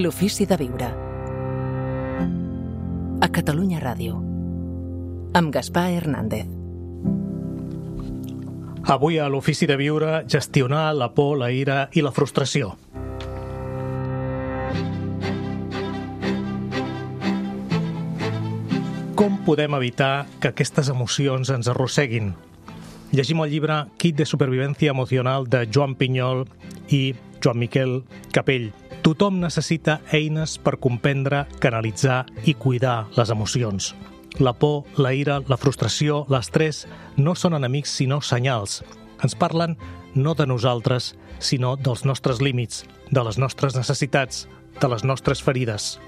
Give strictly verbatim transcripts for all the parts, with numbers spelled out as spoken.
L'ofici de viure. A Catalunya Ràdio. Amb Gaspar Hernández. Avui a l'ofici de viure, gestionar la por, la ira i la frustració. Com podem evitar que aquestes emocions ens arrosseguin? Llegim el llibre Kit de supervivència emocional de Joan Pinyol i Joan Miquel Capell. Tothom necessita eines per comprendre, canalitzar i cuidar les emocions. La por, la ira, la frustració, l'estrès no són enemics sinó senyals. Ens parlen no de nosaltres, sinó dels nostres límits, de les nostres necessitats, de les nostres ferides.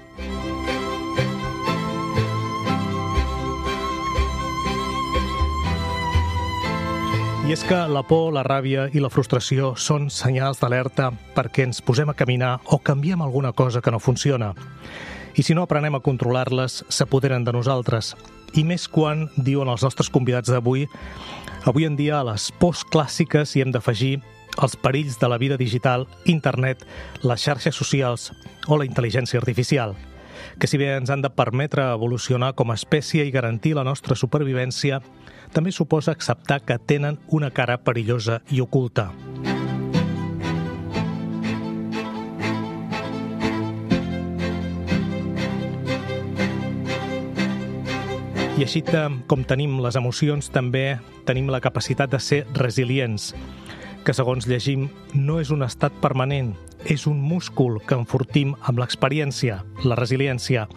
I és que la por, la ràbia i la frustració són senyals d'alerta perquè ens posem a caminar o canviem alguna cosa que no funciona. I si no aprenem a controlar-les, s'apoderen de nosaltres. I més quan, diuen els nostres convidats d'avui, avui en dia a les pors clàssiques hi hem d'afegir els perills de la vida digital, internet, les xarxes socials o la intel·ligència artificial, que si bé ens han de permetre evolucionar com a espècie i garantir la nostra supervivència, també suposa acceptar que tenen una cara perillosa i oculta. I així com tenim les emocions, també tenim la capacitat de ser resilients, que segons llegim no és un estat permanent, és un múscul que enfortim amb l'experiència, la resiliència.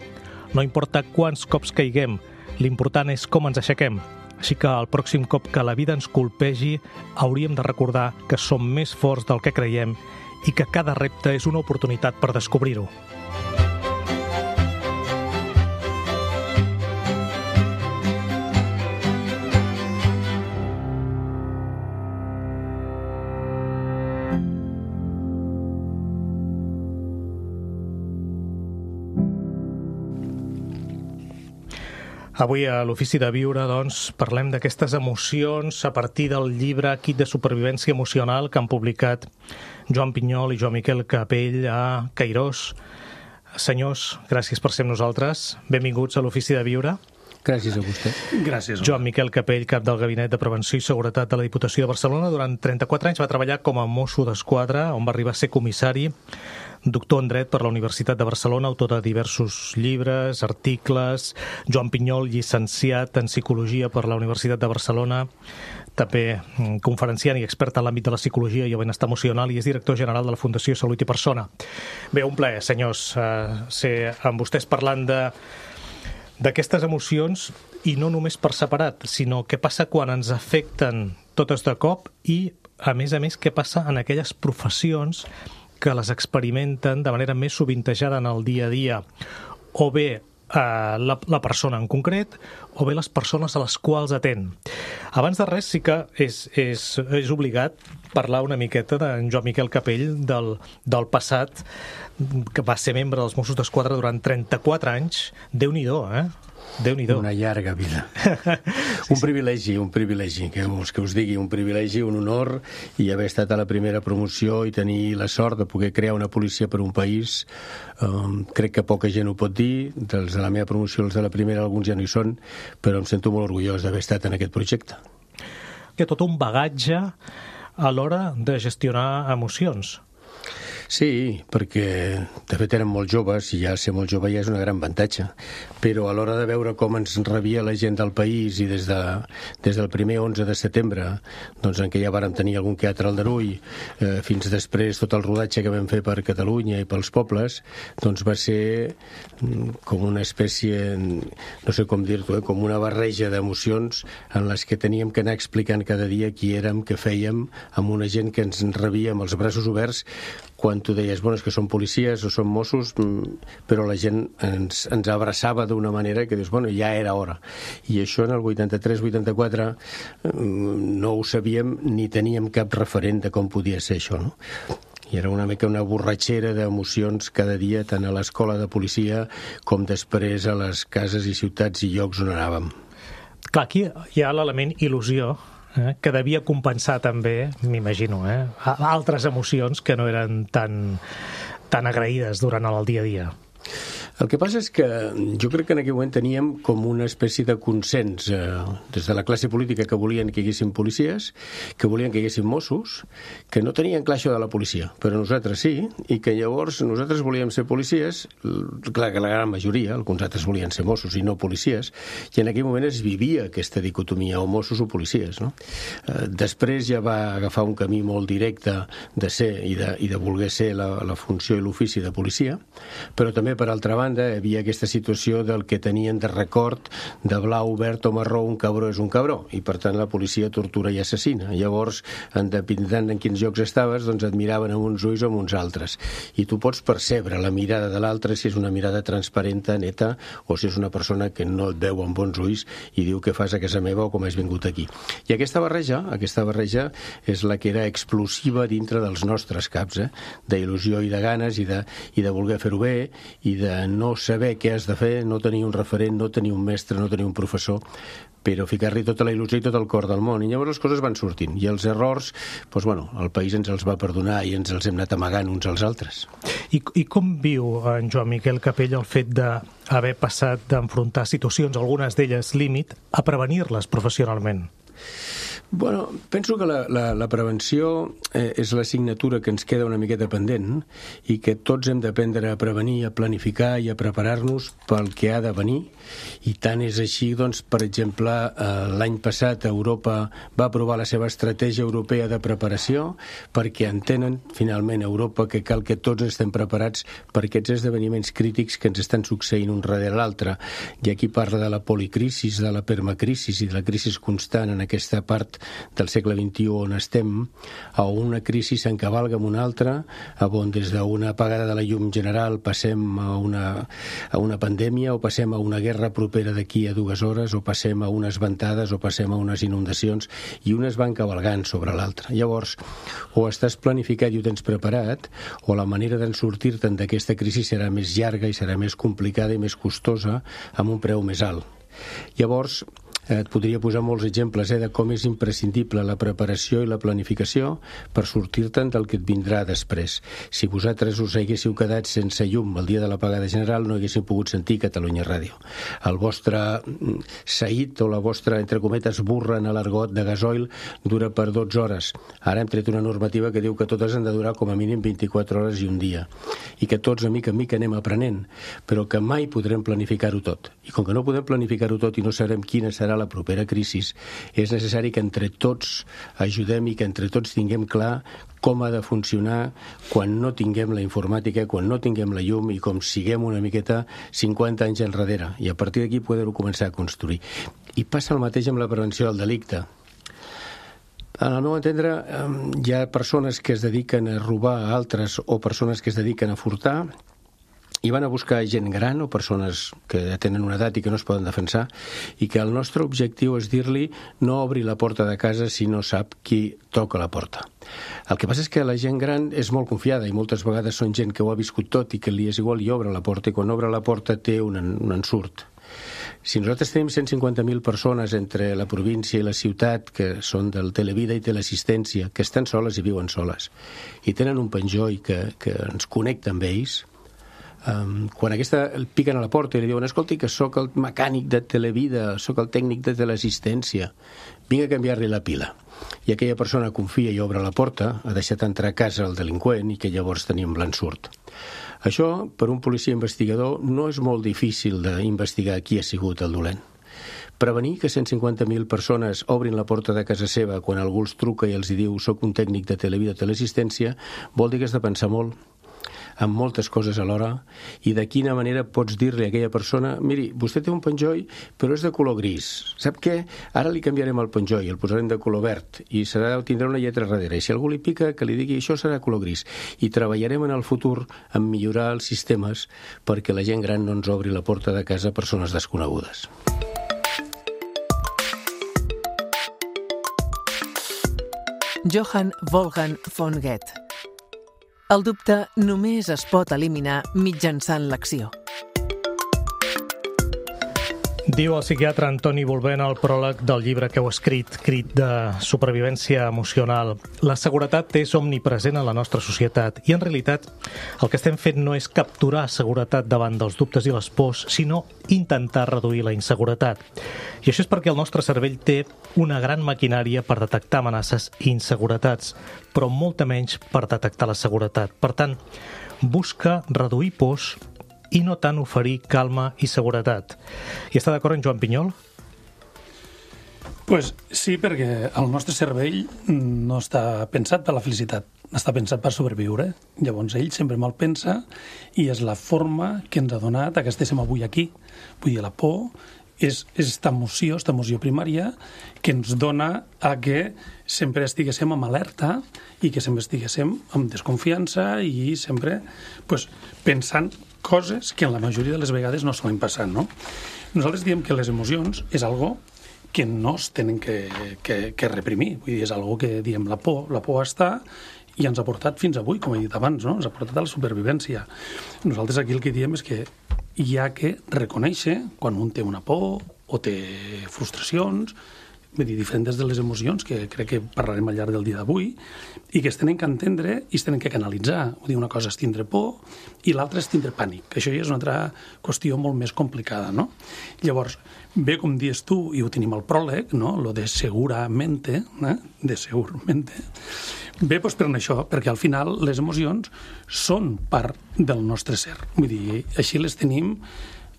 No importa quants cops caiguem, l'important és com ens aixequem. Així que el pròxim cop que la vida ens colpegi hauríem de recordar que som més forts del que creiem i que cada repte és una oportunitat per descobrir-ho. Avui a l'Ofici de Viure, doncs, parlem d'aquestes emocions a partir del llibre Kit de supervivència emocional que han publicat Joan Pinyol i Joan Miquel Capell a Cairós. Senyors, gràcies per ser amb nosaltres. Benvinguts a l'Ofici de Viure. Gràcies a vostè. Gràcies. Joan Miquel Capell, cap del Gabinet de Prevenció i Seguretat de la Diputació de Barcelona. Durant trenta-quatre anys va treballar com a mosso d'esquadra, on va arribar a ser comissari, doctor en dret per la Universitat de Barcelona, autor de diversos llibres, articles. Joan Pinyol, llicenciat en Psicologia per la Universitat de Barcelona, també conferenciant i expert en l'àmbit de la psicologia i el benestar emocional, i és director general de la Fundació Salut i Persona. Bé, un plaer, senyors, ser amb vostès parlant de d'aquestes emocions, i no només per separat, sinó què passa quan ens afecten totes de cop i, a més a més, què passa en aquelles professions que les experimenten de manera més sovintejada en el dia a dia, o bé eh, la, la persona en concret, o bé les persones a les quals atén. Abans de res, sí que és, és, és obligat parlar una miqueta d'en Joan Miquel Capell, del, del passat, que va ser membre dels Mossos d'Esquadra durant trenta-quatre anys. Déu-n'hi-do, eh? Déu-n'hi-do. Una llarga vida. Un privilegi, un privilegi, que us, que us digui, un privilegi, un honor, i haver estat a la primera promoció i tenir la sort de poder crear una policia per un país. Um, crec que poca gent ho pot dir. Dels de la meva promoció, els de la primera, alguns ja no hi són, però em sento molt orgullós d'haver estat en aquest projecte. Que tot un bagatge a l'hora de gestionar emocions. Sí, perquè de fet érem molt joves, i ja ser molt jove ja és una gran avantatge, però a l'hora de veure com ens rebia la gent del país, i des, de, des del primer onze de setembre, doncs en què ja vàrem tenir algun que altre aldarull, eh, fins després tot el rodatge que vam fer per Catalunya i pels pobles, doncs va ser com una espècie, no sé com dir-t'ho, eh, com una barreja d'emocions en les que teníem que anar explicant cada dia qui érem, què fèiem, amb una gent que ens rebia amb els braços oberts, quan tu deies, bueno, és que som policies o som Mossos, però la gent ens, ens abraçava d'una manera que dius, bueno, ja era hora. I això en el vuitanta-tres vuitanta-quatre no ho sabíem ni teníem cap referent de com podia ser això, no? I era una mica una borratxera d'emocions cada dia, tant a l'escola de policia com després a les cases i ciutats i llocs on anàvem. Clar, aquí hi ha l'element il·lusió, eh, que devia compensar també, m'imagino, eh, altres emocions que no eren tan, tan agraïdes durant el dia a dia. El que passa és que jo crec que en aquell moment teníem com una espècie de consens eh, des de la classe política que volien que hi haguessin policies, que volien que hi haguessin Mossos, que no tenien clar això de la policia, però nosaltres sí, i que llavors nosaltres volíem ser policies, clar que la gran majoria, alguns altres volien ser Mossos i no policies, i en aquell moment es vivia aquesta dicotomia, o Mossos o policies, no? Eh, després ja va agafar un camí molt directe de ser i de, i de voler ser la, la funció i l'ofici de policia, però també per altra banda banda, hi havia aquesta situació del que tenien de record de blau, verd o marró, un cabró és un cabró, i per tant la policia tortura i assassina. Llavors, en dependent en quins llocs estaves, doncs et miraven amb uns ulls o amb uns altres. I tu pots percebre la mirada de l'altre si és una mirada transparenta, neta, o si és una persona que no et veu amb bons ulls i diu què fas a casa meva o com has vingut aquí. I aquesta barreja, aquesta barreja és la que era explosiva dintre dels nostres caps, eh? d'il·lusió i de ganes i de, i de voler fer-ho bé i de no saber què has de fer, no tenir un referent, no tenir un mestre, no tenir un professor, però ficar-li tota la il·lusió i tot el cor del món. I llavors les coses van sortint. I els errors, doncs, bueno, el país ens els va perdonar i ens els hem anat amagant uns als altres. I, i com viu en Joan Miquel Capell el fet d'haver passat d'enfrontar situacions, algunes d'elles límit, a prevenir-les professionalment? Bueno, penso que la, la, la prevenció eh, és l'assignatura que ens queda una miqueta pendent i que tots hem d'aprendre a prevenir, a planificar i a preparar-nos pel que ha de venir. I tant és així, doncs, per exemple, eh, l'any passat Europa va aprovar la seva estratègia europea de preparació perquè entenen, finalment, a Europa que cal que tots estem preparats per aquests esdeveniments crítics que ens estan succeint un darrere l'altre. I aquí parla de la policrisis, de la permacrisis i de la crisi constant en aquesta part del segle vint-i-u on estem, a una crisi s'encavalga amb una altra, on des d'una apagada de la llum general passem a una, a una pandèmia o passem a una guerra propera d'aquí a dues hores o passem a unes ventades o passem a unes inundacions i unes van cavalgant sobre l'altra. Llavors, o estàs planificat i ho tens preparat o la manera d'en sortir-te'n d'aquesta crisi serà més llarga i serà més complicada i més costosa amb un preu més alt. Llavors, et podria posar molts exemples eh, de com és imprescindible la preparació i la planificació per sortir-te'n del que et vindrà després. Si vosaltres us haguéssiu quedat sense llum el dia de l'apagada general no haguéssiu pogut sentir Catalunya Ràdio. El vostre saït o la vostra, entre cometes, burra en l'argot de gasoil dura per dotze hores. Ara hem tret una normativa que diu que totes han de durar com a mínim vint-i-quatre hores i un dia. I que tots, a mica en mica, anem aprenent, però que mai podrem planificar-ho tot. I com que no podem planificar-ho tot i no sabrem quina serà la propera crisi, és necessari que entre tots ajudem i que entre tots tinguem clar com ha de funcionar quan no tinguem la informàtica, quan no tinguem la llum i com siguem una miqueta cinquanta anys enrere. I a partir d'aquí poder-ho començar a construir. I passa el mateix amb la prevenció del delicte. Al meu entendre, hi ha persones que es dediquen a robar a altres o persones que es dediquen a furtar i van a buscar gent gran o persones que tenen una edat i que no es poden defensar i que el nostre objectiu és dir-li no obri la porta de casa si no sap qui toca la porta. El que passa és que la gent gran és molt confiada i moltes vegades són gent que ho ha viscut tot i que li és igual i obre la porta i quan obre la porta té un, un ensurt. Si nosaltres tenim cent cinquanta mil persones entre la província i la ciutat que són del Televida i Teleassistència, que estan soles i viuen soles i tenen un penjoll que, que ens connecta amb ells, Um, quan aquesta el piquen a la porta i li diuen escolti que sóc el mecànic de Televida, sóc el tècnic de Teleassistència, vinc a canviar-li la pila. I aquella persona confia i obre la porta, ha deixat entrar a casa el delinqüent i que llavors tenim l'ensurt. Això, per un policia investigador, no és molt difícil d'investigar qui ha sigut el dolent. Prevenir que cent cinquanta mil persones obrin la porta de casa seva quan algú els truca i els diu soc un tècnic de Televida o Teleassistència vol dir que has de pensar molt amb moltes coses alhora i de quina manera pots dir-li a aquella persona miri, vostè té un penjoll però és de color gris, sap què? Ara li canviarem el penjoll, el posarem de color verd i serà, tindrà una lletra darrere i si algú li pica que li digui això serà color gris i treballarem en el futur en millorar els sistemes perquè la gent gran no ens obri la porta de casa a persones desconegudes. Johann Wolfgang von Goethe. El dubte només es pot eliminar mitjançant l'acció. Diu el psiquiatre Antoni Volvent al pròleg del llibre que heu escrit, Crit de supervivència emocional. La seguretat és omnipresent en la nostra societat i, en realitat, el que estem fent no és capturar seguretat davant dels dubtes i les pors, sinó intentar reduir la inseguretat. I això és perquè el nostre cervell té una gran maquinària per detectar amenaces i inseguretats, però molta menys per detectar la seguretat. Per tant, busca reduir pors i no tant oferir calma i seguretat. I està d'acord en Joan Pinyol? Pues sí, perquè el nostre cervell no està pensat per la felicitat, està pensat per sobreviure. Llavors ell sempre mal pensa i és la forma que ens ha donat que estéssim avui aquí. Vull dir, la por és aquesta emoció, aquesta emoció primària que ens dona a que sempre estiguéssim amb alerta i que sempre estiguéssim amb desconfiança i sempre pues, pensant coses que en la majoria de les vegades no solen passar, no? Nosaltres diem que les emocions és algo que no es tenen que, que, que reprimir. Vull dir, és algo que diem la por. La por està i ens ha portat fins avui, com he dit abans, no? Ens ha portat a la supervivència. Nosaltres aquí el que diem és que hi ha que reconèixer quan un té una por o té frustracions, vull dir, diferents de les emocions que crec que parlarem al llarg del dia d'avui i que es tenen que entendre i es tenen que canalitzar. Vull dir, una cosa és tindre por i l'altra és tindre pànic, que això ja és una altra qüestió molt més complicada, no? Llavors, bé, com dius tu, i ho tenim al pròleg, no? Lo de seguramente, eh? de seguramente, bé, doncs per això, perquè al final les emocions són part del nostre ser. Vull dir, així les tenim.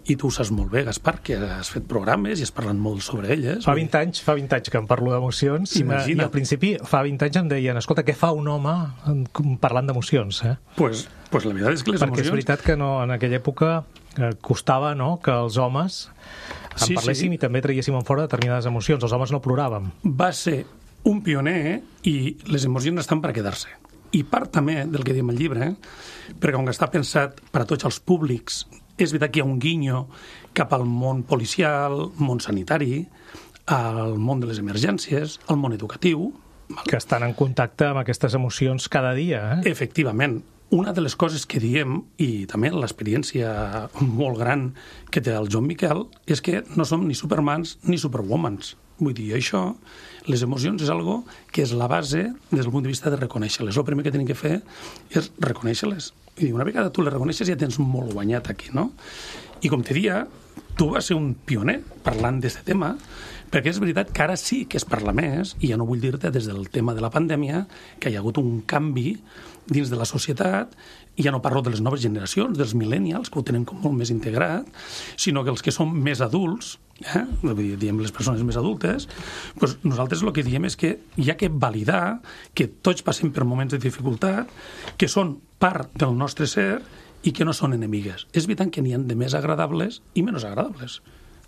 I tu ho saps molt bé, Gaspar, que has fet programes i has parlat molt sobre elles. Fa vint anys, fa vint anys que em parlo d'emocions. Imagina't. I al principi, fa vint anys em deien, escolta, què fa un home parlant d'emocions? Eh? Pues, pues la veritat és que les Perquè emocions... és veritat que no, en aquella època eh, costava no, que els homes en sí, parléssim sí. I també traiéssim en fora determinades emocions. Els homes no ploràvem. Va ser un pioner i les emocions estan per quedar-se. I part també del que diem al llibre, perquè com que està pensat per a tots els públics, és veritat que hi ha un guinyo cap al món policial, món sanitari, al món de les emergències, al món educatiu. Que estan en contacte amb aquestes emocions cada dia. Eh? Efectivament. Una de les coses que diem, i també l'experiència molt gran que té el Joan Miquel, és que no som ni supermans ni superwomans. Vull dir, això, les emocions és algo que és la base des del punt de vista de reconèixer-les. El primer que tenim que fer és reconèixer-les. I una vegada tu les reconeixes ja tens molt guanyat aquí, no? I com te dia, tu vas ser un pioner parlant d'aquest tema, perquè és veritat que ara sí que es parla més, i ja no vull dir-te des del tema de la pandèmia, que hi ha hagut un canvi dins de la societat, i ja no parlo de les noves generacions, dels millennials, que ho tenen com molt més integrat, sinó que els que són més adults, eh? diem les persones més adultes, doncs nosaltres el que diem és que hi ha que validar que tots passem per moments de dificultat, que són part del nostre ser i que no són enemigues. És veritat que n'hi ha de més agradables i menys agradables.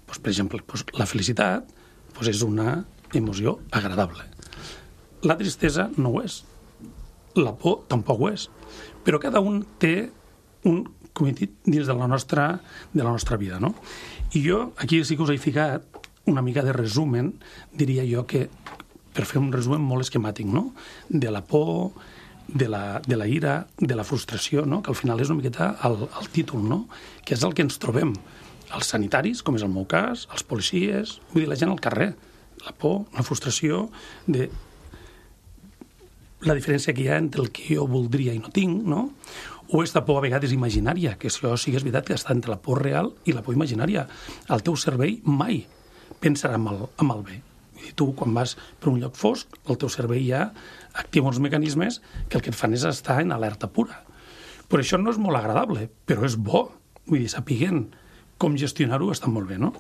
Pues, per exemple, pues, la felicitat pues, és una emoció agradable. La tristesa no ho és. La por tampoc ho és. Però cada un té un, com he dit, dins de la nostra, de la nostra vida, no? I jo, aquí sí que us he ficat una mica de resumen, diria jo que, per fer un resumen molt esquemàtic, no? De la por, de la, de la ira, de la frustració, no? Que al final és una miqueta el, el títol, no? Que és el que ens trobem. Els sanitaris, com és el meu cas, els policies, vull dir, la gent al carrer. La por, la frustració de la diferència que hi ha entre el que jo voldria i no tinc, no? O aquesta por a vegades imaginària, que això sí que és veritat que està entre la por real i la por imaginària. El teu cervell mai pensarà en el, en el bé. I tu, quan vas per un lloc fosc, el teu cervell ja activa uns mecanismes que el que et fan és estar en alerta pura. Però això no és molt agradable, però és bo. Vull dir, sapiguent com gestionar-ho està molt bé, no?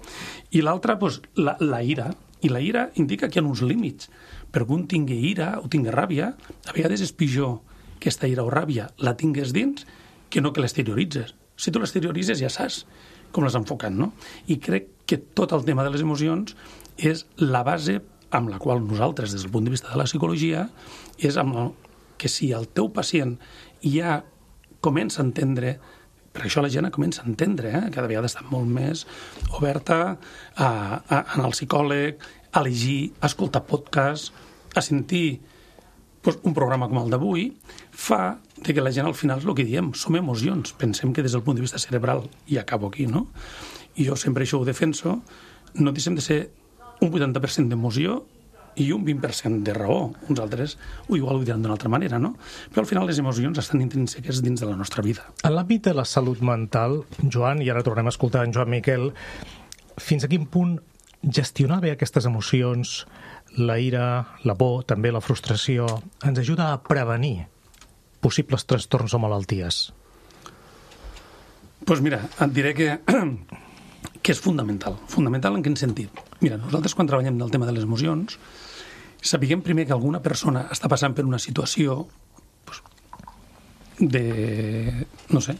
I l'altra, doncs, la, la ira. I la ira indica que hi ha uns límits. Perquè un tingui ira o tingui ràbia, a vegades és pitjor que aquesta ira o ràbia la tingues dins que no que l'exterioritzes. Si tu l'exterioritzes ja saps com les enfocant, no? I crec que tot el tema de les emocions és la base amb la qual nosaltres, des del punt de vista de la psicologia, és amb el, que si el teu pacient ja comença a entendre, per això la gent comença a entendre, eh? Cada vegada està molt més oberta a, a anar al psicòleg, a llegir, a escoltar podcasts, a sentir pues, un programa com el d'avui, fa de que la gent al final és el que diem, som emocions. Pensem que des del punt de vista cerebral, i acabo aquí, no? I jo sempre això ho defenso, no deixem de ser un vuitanta per cent d'emoció i un vint per cent de raó. Uns altres o igual ho diran d'una altra manera, no? Però al final les emocions estan intrínseques dins de la nostra vida. En l'àmbit de la salut mental, Joan, i ara tornem a escoltar en Joan Miquel, fins a quin punt gestionar bé aquestes emocions, la ira, la por, també la frustració, ens ajuda a prevenir possibles trastorns o malalties? Doncs pues mira, et diré que, que és fundamental. Fundamental en quin sentit? Mira, nosaltres quan treballem del tema de les emocions, sapiguem primer que alguna persona està passant per una situació pues, de, no sé,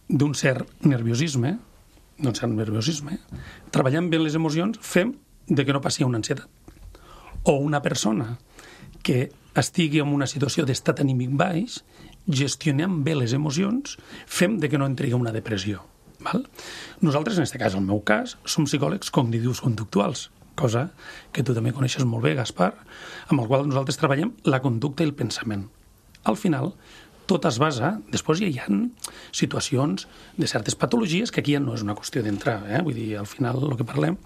d'un cert nerviosisme, d'un cert nerviosisme, treballant bé les emocions, fem de que no passi una ansietat. O una persona que estigui en una situació d'estat anímic baix, gestionem bé les emocions, fem de que no entri en una depressió. Val? Nosaltres, en aquest cas, en el meu cas, som psicòlegs cognitius conductuals, cosa que tu també coneixes molt bé, Gaspar, amb el qual nosaltres treballem la conducta i el pensament. Al final, tot es basa... Després ja hi ha situacions de certes patologies que aquí ja no és una qüestió d'entrar, eh? Vull dir, al final el que parlem,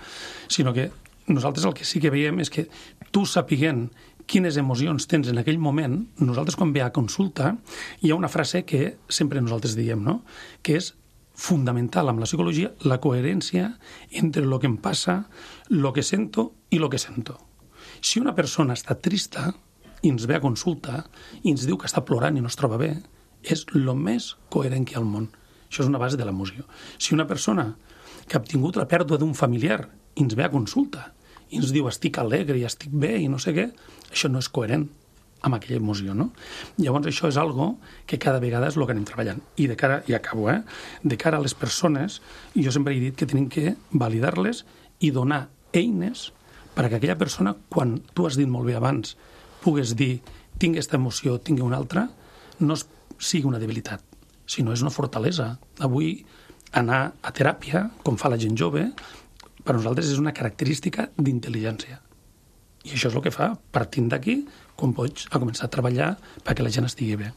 sinó que nosaltres el que sí que veiem és que tu sapiguent quines emocions tens en aquell moment, nosaltres quan ve a consulta hi ha una frase que sempre nosaltres diem, no? Que és fundamental amb la psicologia la coherència entre el que em passa, el que sento i el que sento. Si una persona està trista i ens ve a consulta i ens diu que està plorant i no es troba bé, és el més coherent que hi ha al món. Això és una base de l'emoció. Si una persona que ha tingut la pèrdua d'un familiar i ens ve a consulta i ens diu estic alegre i estic bé i no sé què, això no és coherent amb aquella emoció, no? Llavors això és algo que cada vegada és el que anem treballant. I de cara, i acabo, eh? De cara a les persones, jo sempre he dit que tenim que validar-les i donar eines perquè aquella persona, quan tu has dit molt bé abans, pugues dir tinc aquesta emoció, tinc una altra, no sigui una debilitat, sinó és una fortalesa. Avui anar a teràpia, com fa la gent jove, per nosaltres és una característica d'intel·ligència. I això és el que fa, partint d'aquí, com pots a començar a treballar perquè la gent estigui bé.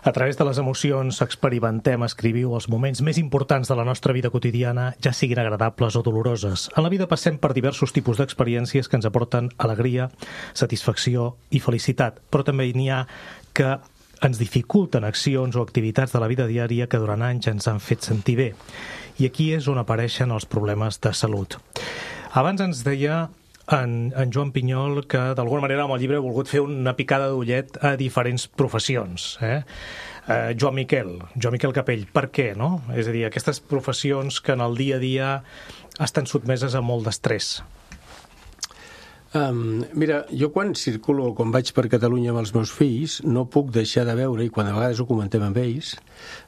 A través de les emocions experimentem, escriviu, els moments més importants de la nostra vida quotidiana, ja siguin agradables o doloroses. En la vida passem per diversos tipus d'experiències que ens aporten alegria, satisfacció i felicitat, però també n'hi ha que ens dificulten accions o activitats de la vida diària que durant anys ens han fet sentir bé. I aquí és on apareixen els problemes de salut. Abans ens deia en, en Joan Pinyol que d'alguna manera amb el llibre ha volgut fer una picada d'ullet a diferents professions. Eh? Eh, Joan Miquel, Joan Miquel Capell, per què, no? És a dir, aquestes professions que en el dia a dia estan sotmeses a molt d'estrès. Um, mira, jo quan circulo, quan vaig per Catalunya amb els meus fills, no puc deixar de veure, i quan a vegades ho comentem amb ells,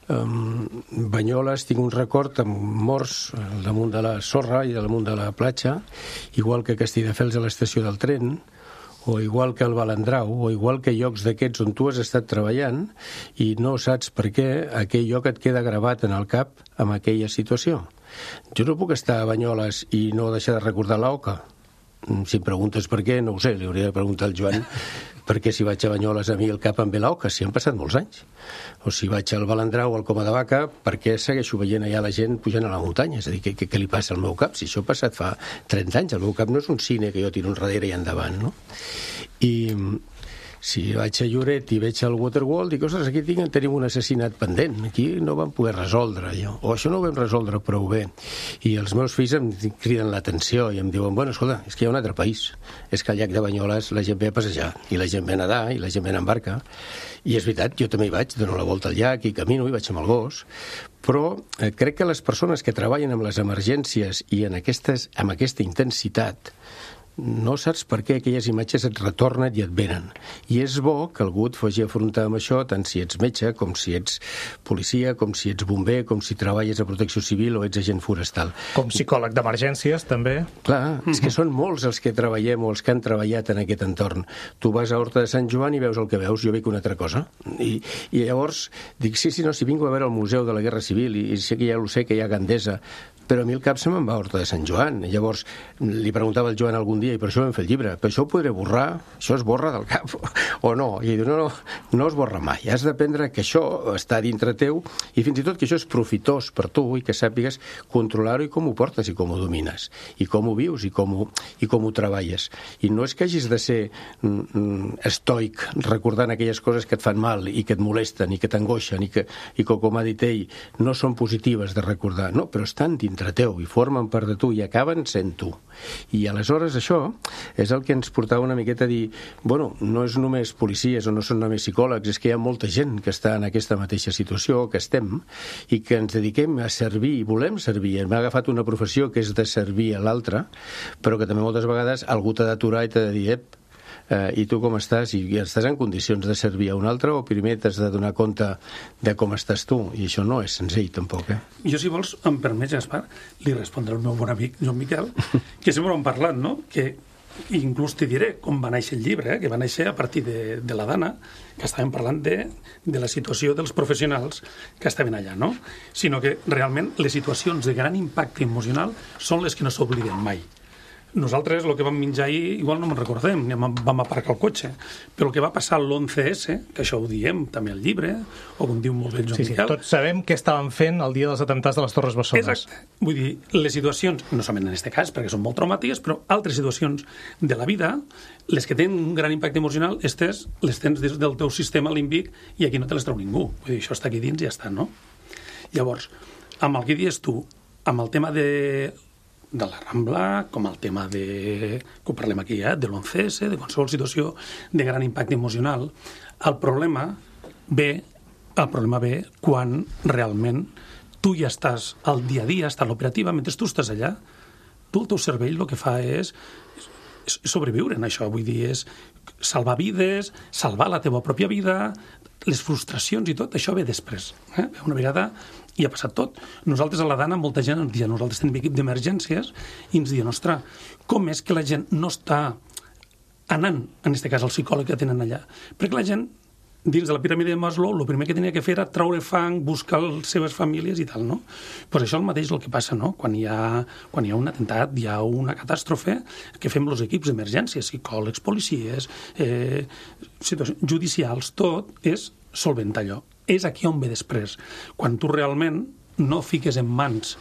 um, Banyoles, tinc un record amb morts al damunt de la sorra i al damunt de la platja, igual que Castelldefels a l'estació del tren, o igual que el Balandrau, o igual que llocs d'aquests on tu has estat treballant i no saps per què aquell lloc et queda gravat en el cap amb aquella situació. Jo no puc estar a Banyoles i no deixar de recordar l'Oca. Si em preguntes per què, no ho sé, li hauria de preguntar al Joan perquè si vaig a Banyoles a mi el cap em ve l'Oca, si han passat molts anys. O si vaig al Balandrau o al Coma de Vaca, perquè segueixo veient allà la gent pujant a la muntanya. És a dir, què, què, què li passa al meu cap? Si això ha passat fa trenta anys, el meu cap no és un cine que jo tiro enrere i endavant, no? I si vaig a Lloret i veig el Waterworld, dic, ostres, aquí tinc, tenim un assassinat pendent, aquí no vam poder resoldre allò, o això no ho vam resoldre prou bé. I els meus fills em criden l'atenció i em diuen, bueno, escolta, és que hi ha un altre país, és que al llac de Banyoles la gent ve a passejar, i la gent ve a nedar, i la gent ve en barca, i és veritat, jo també hi vaig, dono la volta al llac i camino, i vaig amb el gos, però eh, crec que les persones que treballen amb les emergències i en aquestes, amb aquesta intensitat, no saps per què aquelles imatges et retornen i et venen. I és bo que algú et faci afrontar amb això, tant si ets metge, com si ets policia, com si ets bomber, com si treballes a protecció civil o ets agent forestal. Com psicòleg d'emergències, també. Clar, mm-hmm. És que són molts els que treballem o els que han treballat en aquest entorn. Tu vas a Horta de Sant Joan i veus el que veus, jo veig una altra cosa. I, i llavors dic, sí, sí, no, si vinc a veure el Museu de la Guerra Civil i, i sé que ja ho sé, que hi ha Gandesa, però a mi el cap se me'n va a Horta de Sant Joan. Llavors li preguntava al Joan algun dia, i per això vam fer el llibre, però això ho podré borrar? Això es borra del cap o no? I diu, no, no, no es borra mai. Has d'aprendre que això està dintre teu i fins i tot que això és profitós per tu i que sàpigues controlar-ho i com ho portes i com ho domines i com ho vius i com ho, i com ho treballes. I no és que hagis de ser mm, estoic recordant aquelles coses que et fan mal i que et molesten i que t'angoixen i que, i que, com ha dit ell, no són positives de recordar. No, però estan dintre teu i formen part de tu i acaben sent tu. I aleshores això és el que ens portava una miqueta a dir, bueno, no és només policies o no són només psicòlegs, és que hi ha molta gent que està en aquesta mateixa situació, que estem, i que ens dediquem a servir i volem servir. Hem agafat una professió que és de servir a l'altre, però que també moltes vegades algú t'ha d'aturar i t'ha de dir, ep, eh, i tu com estàs? I estàs en condicions de servir a un altre o primer t'has de donar compte de com estàs tu? I això no és senzill, tampoc, eh? Jo, si vols, em permets, Gaspar, li respondré al meu bon amic Joan Miquel, que sempre hem parlat, no?, que inclús te diré com va néixer el llibre, eh? que va néixer a partir de, de la Dana, que estàvem parlant de, de la situació dels professionals que estaven allà, no? Sinó que realment les situacions de gran impacte emocional són les que no s'obliden mai. Nosaltres el que vam menjar ahir igual no me'n recordem, vam aparcar el cotxe, però el que va passar l'onze esse, que això ho diem també al llibre, o com diu molt bé Joan sí, sí, Miquel... tots sabem què estaven fent el dia dels atemptats de les Torres Bessones. Exacte. Vull dir, les situacions, no solament en aquest cas, perquè són molt traumàtiques, però altres situacions de la vida, les que tenen un gran impacte emocional, estes les tens des del teu sistema límbic i aquí no te les treu ningú. Vull dir, això està aquí dins i ja està, no? Llavors, amb el que dius tu, amb el tema de... de la Rambla, com el tema de... que ho parlem aquí, eh? de l'onze esse, de qualsevol situació de gran impacte emocional, el problema ve, el problema ve quan realment tu ja estàs al dia a dia, estàs a l'operativa, mentre tu estàs allà, tu el teu cervell el que fa és, és sobreviure en això, vull dir, és salvar vides, salvar la teva pròpia vida, les frustracions i tot, això ve després. Eh? Una vegada i ha passat tot. Nosaltres a la Dana, molta gent ens diu, nosaltres tenim equip d'emergències i ens diuen, ostres, com és que la gent no està anant, en aquest cas, al psicòleg que tenen allà? Perquè la gent, dins de la piràmide de Maslow, el primer que tenia que fer era traure fang, buscar les seves famílies i tal, no? Pues això el mateix el que passa, no? Quan hi ha, quan hi ha un atemptat, hi ha una catàstrofe, que fem els equips d'emergència, psicòlegs, policies, eh, situacions judicials, tot és solventar allò. És aquí on ve després. Quan tu realment no fiques en mans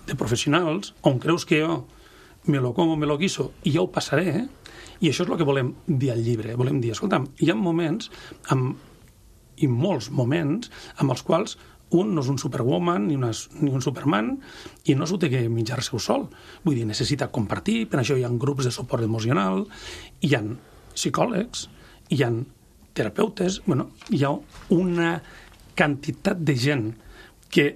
de professionals on creus que jo me lo como, me lo guiso i ja ho passaré, eh? I això és el que volem dir al llibre. Volem dir, escolta'm, hi ha moments, amb, i molts moments, amb els quals un no és un superwoman ni, una, ni un superman i no s'ho té que menjar-se sol. Vull dir, necessita compartir, per això hi ha grups de suport emocional, hi ha psicòlegs, hi ha terapeutes, bueno, hi ha una quantitat de gent que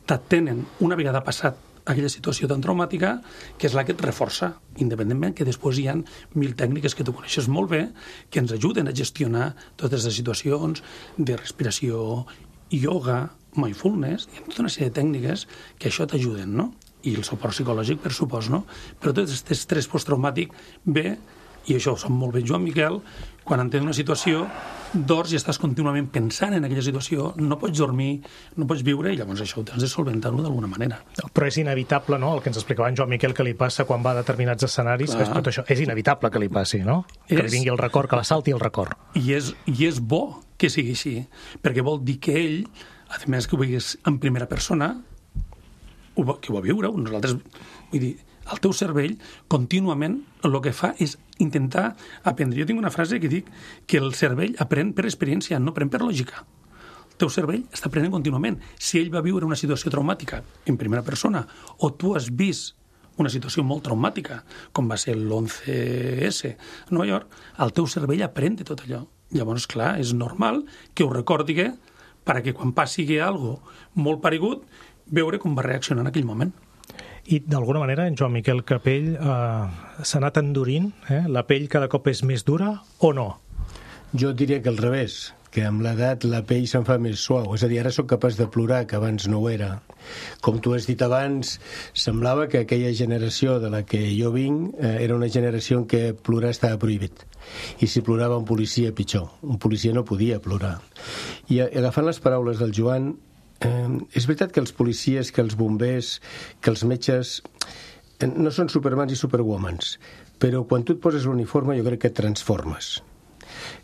t'atenen una vegada passat aquella situació tan traumàtica, que és la que et reforça, independentment que després hi ha mil tècniques que tu coneixes molt bé, que ens ajuden a gestionar totes les situacions de respiració, ioga, mindfulness, hi ha tota una sèrie de tècniques que això t'ajuden, no? I el suport psicològic, per supòs, no? Però tot aquest estrès postraumátic ve, i això ho sap molt bé Joan Miquel, quan entens una situació, dors i estàs contínuament pensant en aquella situació, no pots dormir, no pots viure, i llavors això ho tens de solventar-ho d'alguna manera. Però és inevitable, no?, el que ens explicava en Joan Miquel que li passa quan va a determinats escenaris, és tot això. És inevitable que li passi, no? Que li vingui el record, que l'assalti el record. I és, i és bo que sigui així, perquè vol dir que ell, a més que ho veies en primera persona, ho va, que ho va viure, nosaltres, vull dir, el teu cervell contínuament el que fa és intentar aprendre. Jo tinc una frase que dic que el cervell aprèn per experiència, no aprèn per lògica. El teu cervell està aprenent contínuament. Si ell va viure una situació traumàtica en primera persona o tu has vist una situació molt traumàtica, com va ser l'onze esse a Nova York, el teu cervell aprèn de tot allò. Llavors, clar, és normal que ho recordi perquè quan passi alguna cosa molt paregut, veure com va reaccionar en aquell moment. I d'alguna manera en Joan Miquel Capell eh, s'ha anat endurint, eh? La pell cada cop és més dura o no? Jo diria que al revés, que amb l'edat la pell se'n fa més suau. És a dir, ara sóc capaç de plorar, que abans no ho era. Com tu has dit abans, semblava que aquella generació de la que jo vinc eh, era una generació en què plorar estava prohibit. I si plorava un policia, pitjor. Un policia no podia plorar. I agafant les paraules del Joan, Eh, és veritat que els policies, que els bombers, que els metges eh, no són supermans i superwomans, però quan tu et poses l'uniforme jo crec que et transformes.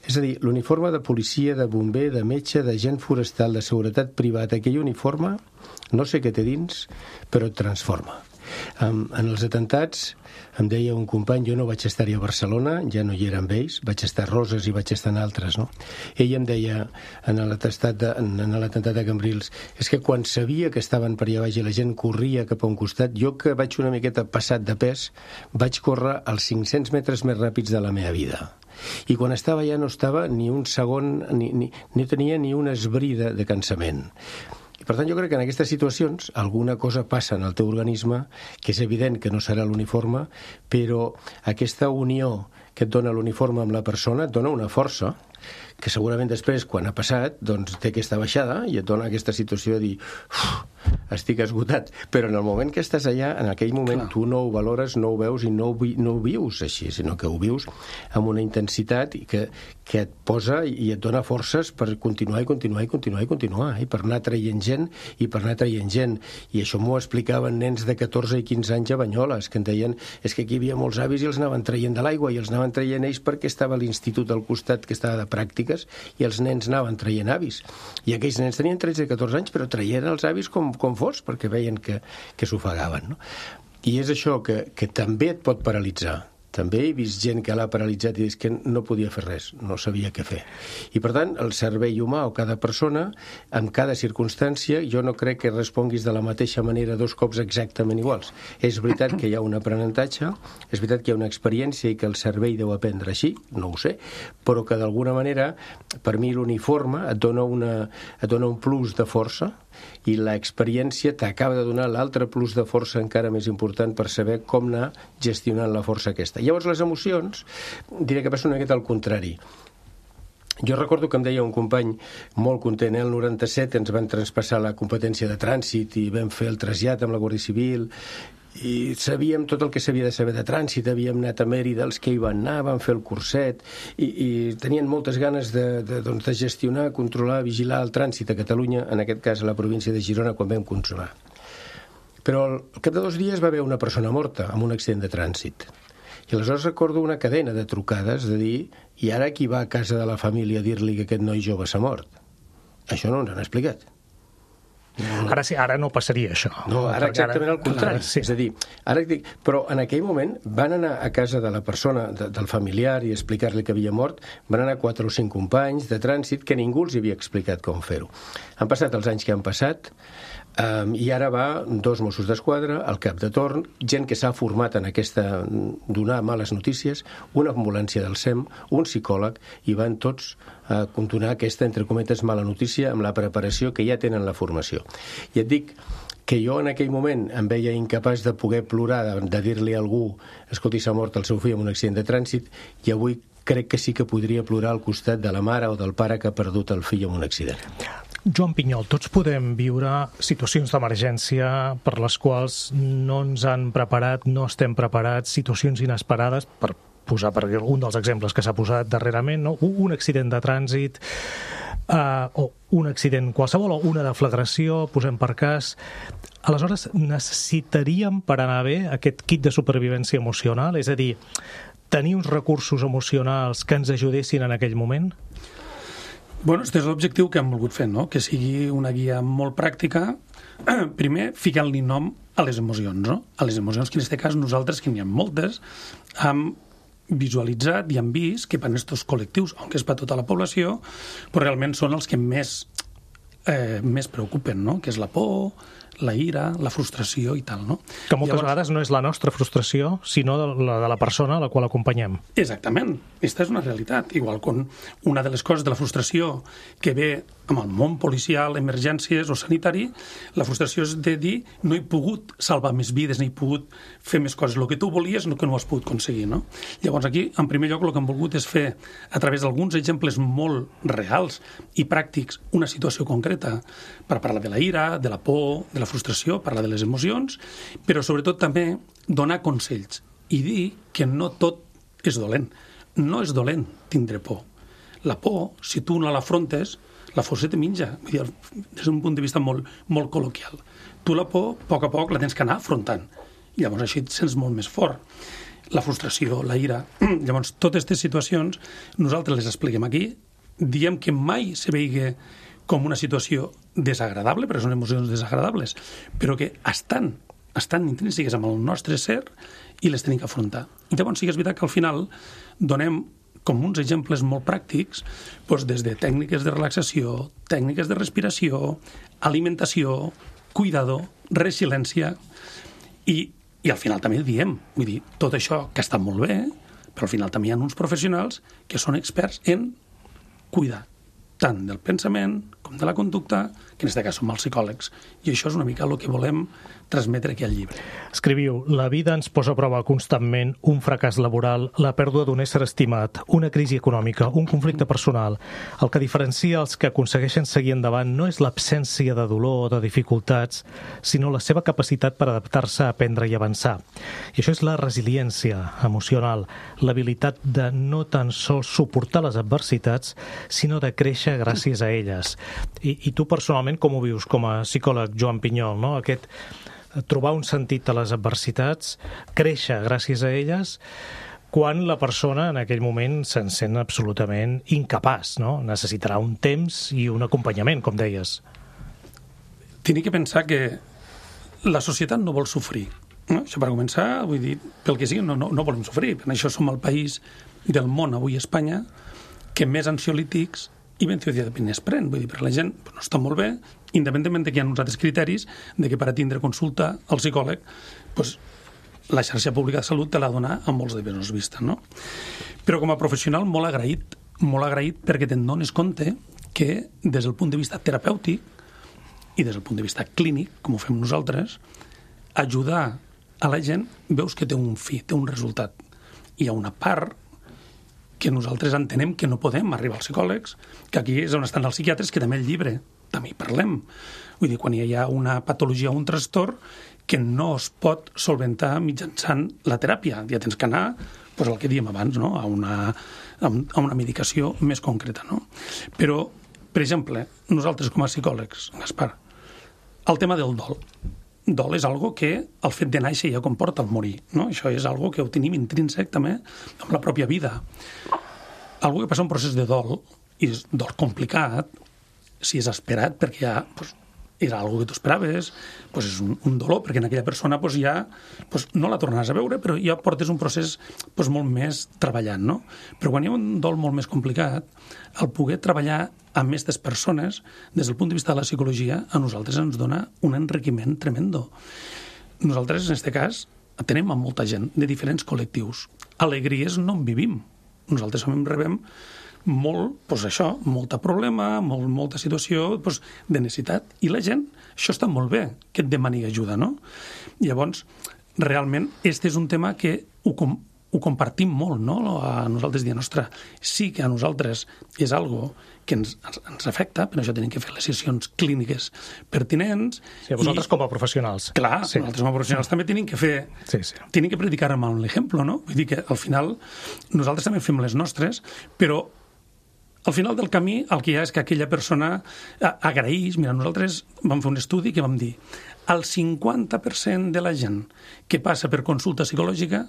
És a dir, l'uniforme de policia, de bomber, de metge, de gent forestal, de seguretat privada, aquell uniforme, no sé què té dins, però et transforma. Um, en els atentats em deia un company, jo no vaig estar-hi a Barcelona, ja no hi era amb ells, vaig estar a Roses i vaig estar en altres, no? Ell em deia en l'atestat de, en, en l'atemptat de Cambrils, és que quan sabia que estaven per allà baix i la gent corria cap a un costat, jo que vaig una miqueta passat de pes, vaig córrer els cinc-cents metres més ràpids de la meva vida. I quan estava allà no estava ni un segon, ni, ni, ni tenia ni un esbrí de, de cansament. I per tant jo crec que en aquestes situacions alguna cosa passa en el teu organisme, que és evident que no serà l'uniforme, però aquesta unió que et dona l'uniforme amb la persona et dona una força que segurament després, quan ha passat, doncs té aquesta baixada i et dona aquesta situació de dir estic esgotat, però en el moment que estàs allà, en aquell moment Clar. tu no ho valores, no ho veus i no ho, vi, no ho vius així, sinó que ho vius amb una intensitat que, que et posa i et dona forces per continuar i continuar i continuar i continuar, i per anar traient gent i per anar traient gent. I això m'ho explicaven nens de catorze i quinze anys a Banyoles, que en deien és que aquí hi havia molts avis i els anaven traient de l'aigua i els anaven traient ells perquè estava l'institut al costat que estava de pràctiques i els nens anaven traient avis. I aquells nens tenien tretze i catorze anys, però traien els avis com, com fos, perquè veien que, que s'ofegaven, no? I és això que, que també et pot paralitzar. També he vist gent que l'ha paralitzat i és que no podia fer res, no sabia què fer. I per tant, el cervell humà o cada persona, en cada circumstància, jo no crec que responguis de la mateixa manera dos cops exactament iguals. És veritat que hi ha un aprenentatge, és veritat que hi ha una experiència i que el cervell deu aprendre així, no ho sé, però que d'alguna manera, per mi l'uniforme et dona, una, et dona un plus de força i l'experiència t'acaba de donar l'altre plus de força encara més important per saber com anar gestionant la força aquesta. Llavors les emocions, diré que passa una miqueta al contrari. Jo recordo que em deia un company molt content, eh? El noranta-set ens van traspassar la competència de trànsit i vam fer el trasllat amb la Guàrdia Civil i sabíem tot el que s'havia de saber de trànsit, havíem anat a Mèrida els que hi van anar, van fer el curset i, i tenien moltes ganes de, de, doncs, de gestionar, controlar, vigilar el trànsit a Catalunya, en aquest cas a la província de Girona, quan vam consumar. Però al cap de dos dies va haver una persona morta amb un accident de trànsit. I aleshores recordo una cadena de trucades de dir i ara qui va a casa de la família a dir-li que aquest noi jove s'ha mort? Això no ens han explicat. Ara sí, ara no passaria això. No, ara exactament al contrari. Sí. És a dir, ara dic, però en aquell moment van anar a casa de la persona, de, del familiar, i explicar-li que havia mort, van anar quatre o cinc companys de trànsit que ningú els havia explicat com fer-ho. Han passat els anys que han passat, um, i ara va dos Mossos d'Esquadra, el cap de torn, gent que s'ha format en aquesta donar males notícies, una ambulància del SEM, un psicòleg, i van tots a continuar aquesta, entre cometes, mala notícia amb la preparació que ja tenen la formació. I et dic que jo en aquell moment em veia incapaç de poder plorar, de, de dir-li a algú escolti, s'ha mort el seu fill en un accident de trànsit, i avui crec que sí que podria plorar al costat de la mare o del pare que ha perdut el fill en un accident. Joan Pinyol, tots podem viure situacions d'emergència per les quals no ens han preparat, no estem preparats, situacions inesperades, per posar per algun dels exemples que s'ha posat darrerament, no? Un accident de trànsit, uh, o un accident qualsevol, o una deflagració, posem per cas. Aleshores, necessitaríem per anar bé aquest kit de supervivència emocional? És a dir, tenir uns recursos emocionals que ens ajudessin en aquell moment? Bueno, aquest és l'objectiu que hem volgut fer, no? Que sigui una guia molt pràctica. Primer, ficant-li nom a les emocions, no? A les emocions que en aquest cas nosaltres, que n'hi ha moltes, hem visualitzat i hem vist que per aquests col·lectius, aunque és per tota la població, però realment són els que més, eh, més preocupen, no? Que és la por, la ira, la frustració i tal, no? Que moltes Llavors, vegades no és la nostra frustració, sinó de la de la persona a la qual acompanyem. Exactament. Aquesta és una realitat. Igual com una de les coses de la frustració que ve amb el món policial, emergències o sanitari, la frustració és de dir no he pogut salvar més vides, no he pogut fer més coses. El que tu volies no que no ho has pogut aconseguir, no? Llavors aquí, en primer lloc, el que hem volgut és fer, a través d'alguns exemples molt reals i pràctics, una situació concreta per parlar de la ira, de la por, de la frustració, parlar de les emocions, però sobretot també donar consells i dir que no tot és dolent. No és dolent tindre por. La por, si tu no l'afrontes, la por se te menja, vull dir, des d'un punt de vista molt, molt col·loquial. Tu la por, a poc a poc, la tens que anar afrontant. I llavors així et sents molt més fort. La frustració, la ira... Llavors, totes aquestes situacions, nosaltres les expliquem aquí, diem que mai se veigui com una situació desagradable, perquè són emocions desagradables, però que estan, estan intrínseques amb el nostre ser i les tenim que afrontar. I llavors sí que és veritat que al final donem com uns exemples molt pràctics, doncs des de tècniques de relaxació, tècniques de respiració, alimentació, cuidado, resiliència, i, i al final també diem, vull dir, tot això que està molt bé, però al final també hi ha uns professionals que són experts en cuidar tant del pensament com de la conducta, que en aquest cas som els psicòlegs. I això és una mica el que volem transmetre aquí al llibre. Escriviu, la vida ens posa a prova constantment un fracàs laboral, la pèrdua d'un ésser estimat, una crisi econòmica, un conflicte personal. El que diferencia els que aconsegueixen seguir endavant no és l'absència de dolor o de dificultats, sinó la seva capacitat per adaptar-se, aprendre i avançar. I això és la resiliència emocional, l'habilitat de no tan sols suportar les adversitats, sinó de créixer gràcies a elles. I, i tu personalment com ho vius com a psicòleg, Joan Pinyol, no? Aquest trobar un sentit a les adversitats, créixer gràcies a elles, quan la persona en aquell moment se'n sent absolutament incapaç, no? Necessitarà un temps i un acompanyament, com deies. Tinc que pensar que la societat no vol sofrir. No? Això per començar, vull dir, pel que sigui, no, no, no volem sofrir. Per això som el país del món, avui a Espanya, que més ansiolítics i benzodiazepines pren. Vull dir, per la gent no està molt bé, independentment de que hi ha uns altres criteris de que per a tindre consulta al psicòleg, doncs, la xarxa pública de salut te l'ha donat amb molts de menys vista, no? Però com a professional molt agraït, molt agraït perquè te'n dones compte que des del punt de vista terapèutic i des del punt de vista clínic, com ho fem nosaltres, ajudar a la gent veus que té un fi, té un resultat. Hi ha una part que nosaltres entenem que no podem arribar als psicòlegs, que aquí és on estan els psiquiatres, que també el llibre, també hi parlem. Vull dir, quan hi ha una patologia o un trastorn que no es pot solventar mitjançant la teràpia. Ja tens que anar, doncs el que diem abans, no? a, una, a una medicació més concreta. No? Però, per exemple, nosaltres com a psicòlegs, Gaspar, el tema del dol. Dol és algo que el fet de néixer ja comporta el morir. No? Això és algo que ho tenim intrínsec també amb la pròpia vida. Algo que passa un procés de dol, i és dol complicat, si és esperat, perquè ja pues, era algo que tu esperaves, pues és un, un dolor, perquè en aquella persona pues, ja pues, no la tornaràs a veure, però ja portes un procés pues, molt més treballant. No? Però quan hi ha un dol molt més complicat, el poder treballar amb aquestes persones, des del punt de vista de la psicologia, a nosaltres ens dona un enriquiment tremendo. Nosaltres, en aquest cas, tenim amb molta gent de diferents col·lectius. Alegries no en vivim. Nosaltres també en rebem molt, doncs això, molta problema, molt, molta situació doncs, de necessitat. I la gent, això està molt bé, que et demani ajuda, no? Llavors, realment, este és un tema que ho, com, ho compartim molt, no? A nosaltres diem, ostres, sí que a nosaltres és algo que ens, ens afecta, però això tenim que fer les sessions clíniques pertinents. Sí, vosaltres i, com a professionals. Clar, sí. Nosaltres com a professionals també tenim que fer, sí, sí. tenim que predicar amb l'exemple, no? Vull dir que al final nosaltres també fem les nostres, però al final del camí el que hi ha és que aquella persona agraeix. Mira, nosaltres vam fer un estudi que vam dir el cinquanta per cent de la gent que passa per consulta psicològica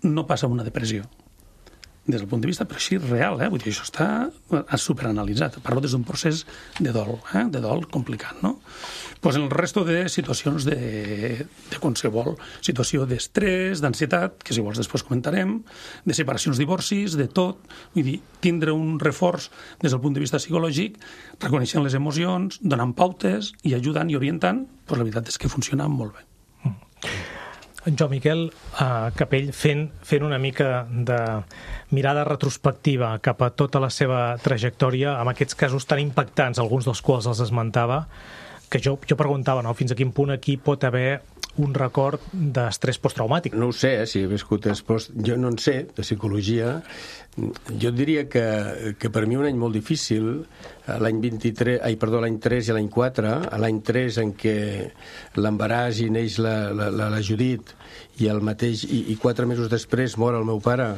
no passa una depressió. Des del punt de vista, però així real, eh? Vull dir, això està superanalitzat. Parlo des d'un procés de dol, eh? de dol complicat, no? Pues en el resto de situacions de, de qualsevol situació d'estrès, d'ansietat, que si vols després comentarem, de separacions, divorcis, de tot. Vull dir, tindre un reforç des del punt de vista psicològic, reconeixent les emocions, donant pautes i ajudant i orientant, pues la veritat és que funciona molt bé. En Joan Miquel uh, Capell, fent, fent una mica de mirada retrospectiva cap a tota la seva trajectòria, amb aquests casos tan impactants, alguns dels quals els esmentava, que jo, jo preguntava, no?, fins a quin punt aquí pot haver un record d'estrès posttraumàtic. No ho sé, eh, si he viscut esports... Jo no en sé, de psicologia. Jo diria que, que per mi un any molt difícil, l'any vint-i-tres, ai, perdó, l'any tres i l'any quatre, l'any tres en què l'embaràs i neix la, la, la, la Judit, i el mateix i, i quatre mesos després mor el meu pare,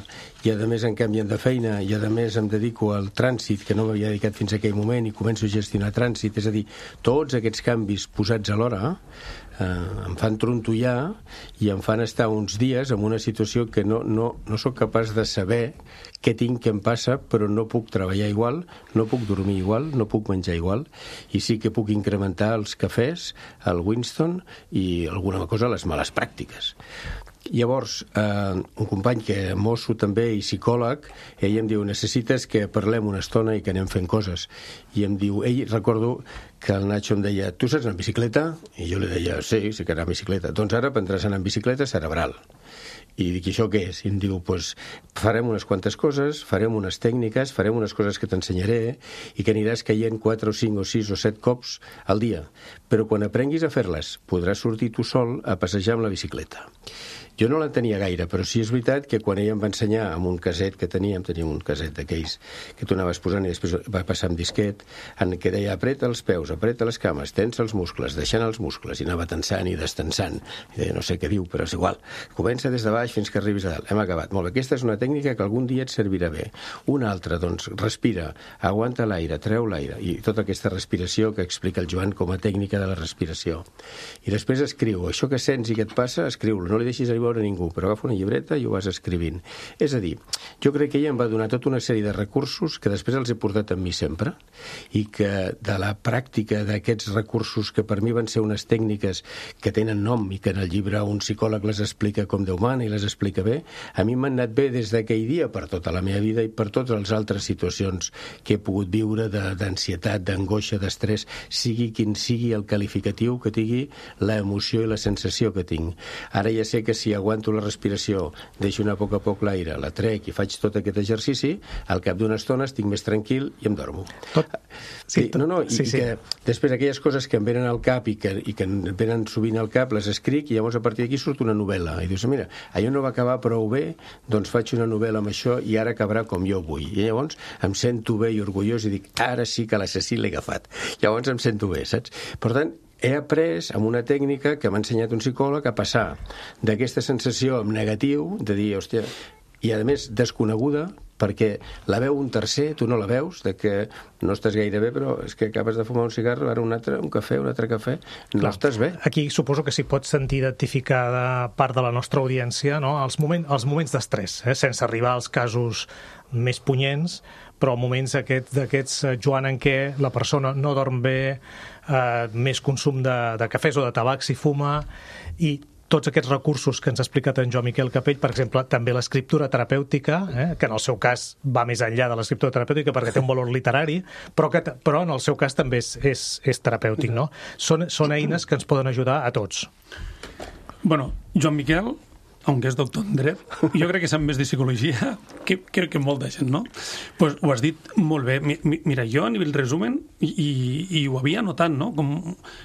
i a més em canvien de feina, i a més em dedico al trànsit, que no m'havia dedicat fins a aquell moment, i començo a gestionar trànsit. És a dir, tots aquests canvis posats alhora eh, em fan trontollar i em fan estar uns dies en una situació que no, no, no sóc capaç de saber què tinc, què em passa, però no puc treballar igual, no puc dormir igual, no puc menjar igual, i sí que puc incrementar els cafès, el Winston i alguna cosa a les males pràctiques. Llavors, eh, un company que és mosso també i psicòleg, ell em diu, necessites que parlem una estona i que anem fent coses. I em diu, ell, recordo que el Nacho em deia, tu saps anar en bicicleta? I jo li deia, sí, sé que anar en bicicleta. Doncs ara aprendràs a anar en bicicleta cerebral. I dic, això què és? I em diu, pues, farem unes quantes coses, farem unes tècniques, farem unes coses que t'ensenyaré i que aniràs caient quatre o cinc o sis o set cops al dia. Però quan aprenguis a fer-les, podràs sortir tu sol a passejar amb la bicicleta. Jo no l'entenia gaire, però sí és veritat que quan ell em va ensenyar amb un caset que teníem, teníem un caset d'aquells que tu anaves posant i després va passar amb disquet, en què deia apreta els peus, apreta les cames, tensa els muscles, deixant els muscles, i anava tensant i destensant. I deia, no sé què diu, però és igual. Comença des de baix fins que arribis a dalt. Hem acabat. Molt bé, aquesta és una tècnica que algun dia et servirà bé. Una altra, doncs, respira, aguanta l'aire, treu l'aire, i tota aquesta respiració que explica el Joan com a tècnica de la respiració. I després escriu, això que sents i que et passa, escriu-lo, no li deixis arribar a ningú, però agafa una llibreta i ho vas escrivint. És a dir, jo crec que ella em va donar tota una sèrie de recursos que després els he portat amb mi sempre, i que de la pràctica d'aquests recursos, que per mi van ser unes tècniques que tenen nom i que en el llibre un psicòleg les explica com Déu mana i les explica bé, a mi m'han anat bé des d'aquell dia per tota la meva vida i per totes les altres situacions que he pogut viure d'ansietat, d'angoixa, d'estrès, sigui quin sigui el qualificatiu que tingui l'emoció i la sensació que tinc. Ara ja sé que si aguanto la respiració, deixo anar a poc a poc l'aire, la trec i faig tot aquest exercici, al cap d'una estona estic més tranquil i em dormo. Tot... Sí, tot... no, no, i, sí, sí. i que després aquelles coses que em venen al cap i que, i que em venen sovint al cap, les escric i llavors a partir d'aquí surt una novel·la. I dius, mira, allò no va acabar prou bé, doncs faig una novel·la amb això i ara acabarà com jo vull. I llavors em sento bé i orgullós i dic, ara sí que l'assassí l'he agafat. Llavors em sento bé, saps? Per tant, he après amb una tècnica que m'ha ensenyat un psicòleg a passar d'aquesta sensació en negatiu, de dir, hòstia, i a més desconeguda, perquè la veu un tercer, tu no la veus, de que no estàs gaire bé, però és que acabes de fumar un cigarro, ara un altre, un cafè, un altre cafè, no Clar, estàs bé. Aquí suposo que s'hi pot sentir identificada part de la nostra audiència, no? els, moment, els moments d'estrès, eh? Sense arribar als casos més punyents, però moments aquests, d'aquests, Joan, en què la persona no dorm bé, eh, més consum de, de cafès o de tabac si fuma, i tots aquests recursos que ens ha explicat en Joan Miquel Capell, per exemple, també l'escriptura terapèutica, eh, que en el seu cas va més enllà de l'escriptura terapèutica perquè té un valor literari, però, que, però en el seu cas també és, és, és terapèutic, no? Són, són eines que ens poden ajudar a tots. Bueno, Joan Miquel, aunque és doctor en dret, jo crec que sap més de psicologia que, que, que molta gent, no? Pues ho has dit molt bé. Mira, jo a nivell resumen, i, i, i ho havia notat, no? Com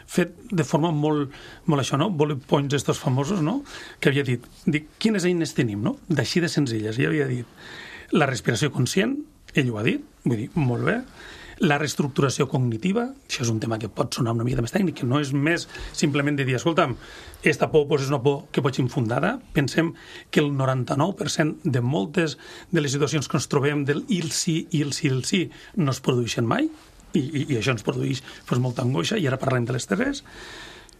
fet de forma molt, molt això, no? Bullet points estos famosos, no? Que havia dit, dic, quines eines tenim, no? D'així de senzilles. I havia dit la respiració conscient, ell ho ha dit, vull dir, molt bé. La reestructuració cognitiva, això és un tema que pot sonar una mica més tècnic, que no és més simplement de dir, escolta'm, esta por pues, és una por que pot ser infundada. Pensem que el noranta-nou per cent de moltes de les situacions que ens trobem del il sí, il sí, il sí, no es produeixen mai, i, i, i això ens produeix pues, molta angoixa, i ara parlem de l'estrès.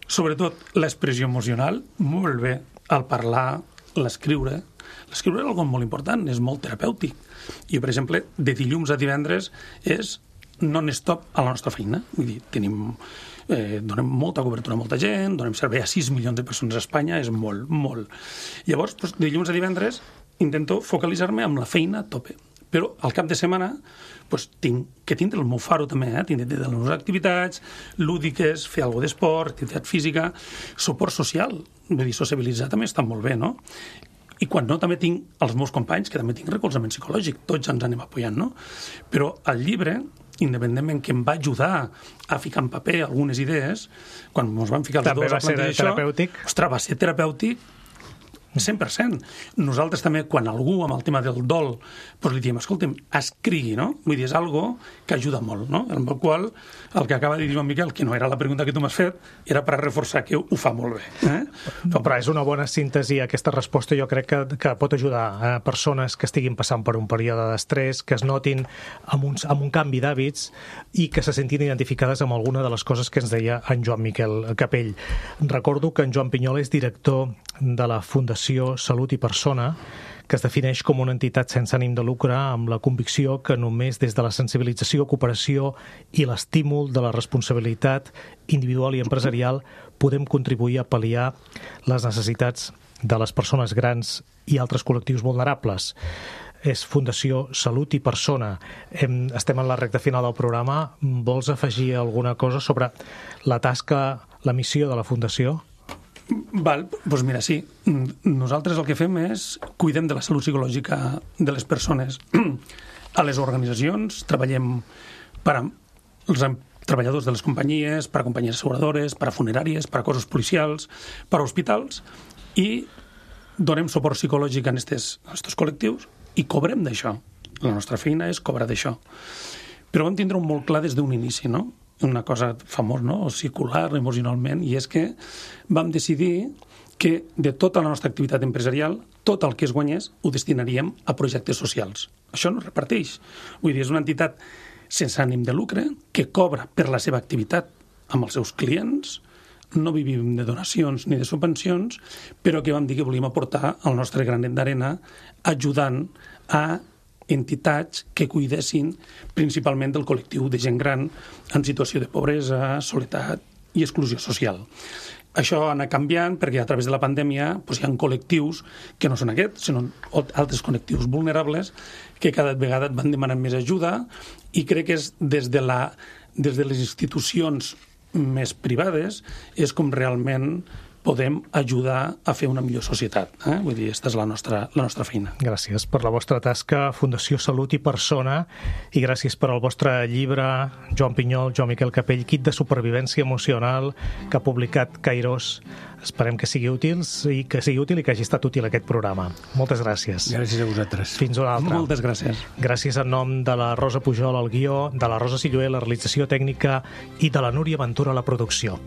Sobretot l'expressió emocional, molt bé, al parlar, l'escriure. L'escriure és una cosa molt important, és molt terapèutic. I, per exemple, de dilluns a divendres és non-stop a la nostra feina. Vull dir, tenim, eh, donem molta cobertura a molta gent, donem servei a sis milions de persones a Espanya, és molt, molt. Llavors, doncs, de dilluns a divendres intento focalitzar-me amb la feina a tope. Però al cap de setmana doncs, tinc que tindre el meu faro també, eh? Tinc de les meves activitats lúdiques, fer alguna d'esport, activitat física, suport social, vull dir, sociabilitzar també està molt bé, no? I quan no, també tinc els meus companys, que també tinc recolzament psicològic, tots ens anem apoyant, no? Però al llibre independentment que em va ajudar a ficar en paper algunes idees, quan ens vam ficar els També dos va a ser plantejar terapèutic? això, ostres, va ser terapèutic cent per cent. Nosaltres també, quan algú amb el tema del dol, doncs li diem, escolta'm, escrigui, no? Vull dir, és algo que ajuda molt, no? Amb el qual, el que acaba de dir Joan Miquel, que no era la pregunta que tu m'has fet, era per reforçar que ho fa molt bé. Eh? Però és una bona síntesi, aquesta resposta jo crec que, que pot ajudar a persones que estiguin passant per un període d'estrès, que es notin amb, uns, amb un canvi d'hàbits i que se sentin identificades amb alguna de les coses que ens deia en Joan Miquel Capell. Recordo que en Joan Pinyol és director de la Fundació Salut i Persona, que es defineix com una entitat sense ànim de lucre amb la convicció que només des de la sensibilització, cooperació i l'estímul de la responsabilitat individual i empresarial podem contribuir a pal·liar les necessitats de les persones grans i altres col·lectius vulnerables. És Fundació Salut i Persona. Estem en la recta final del programa. Vols afegir alguna cosa sobre la tasca, la missió de la Fundació? Val, doncs mira, sí. Nosaltres el que fem és cuidem de la salut psicològica de les persones. A les organitzacions treballem per als treballadors de les companyies, per a companyies asseguradores, per a funeràries, per a cossos policials, per a hospitals, i donem suport psicològic a aquests col·lectius i cobrem d'això. La nostra feina és cobrar d'això. Però vam tindre un molt clar des d'un inici, no? Una cosa famós, no? O circular emocionalment, i és que vam decidir que de tota la nostra activitat empresarial, tot el que es guanyés ho destinaríem a projectes socials. Això no es reparteix. Vull dir, és una entitat sense ànim de lucre que cobra per la seva activitat amb els seus clients, no vivim de donacions ni de subvencions, però que vam dir que volíem aportar el nostre granet d'arena ajudant a entitats que cuidessin principalment del col·lectiu de gent gran en situació de pobresa, soledat i exclusió social. Això ha anat canviant perquè a través de la pandèmia doncs, hi ha col·lectius que no són aquests, sinó altres col·lectius vulnerables que cada vegada et van demanant més ajuda, i crec que és des de, la, des de les institucions més privades és com realment podem ajudar a fer una millor societat. Eh? Vull dir, aquesta és la nostra, la nostra feina. Gràcies per la vostra tasca, Fundació Salut i Persona, i gràcies per al vostre llibre, Joan Pinyol, Joan Miquel Capell, Kit de supervivència emocional, que ha publicat Kairos. Esperem que sigui útil i que sigui útil i que hagi estat útil aquest programa. Moltes gràcies. Gràcies a vosaltres. Fins una altra. Moltes gràcies. Gràcies en nom de la Rosa Pujol al guió, de la Rosa Silloé, la realització tècnica, i de la Núria Ventura a la producció.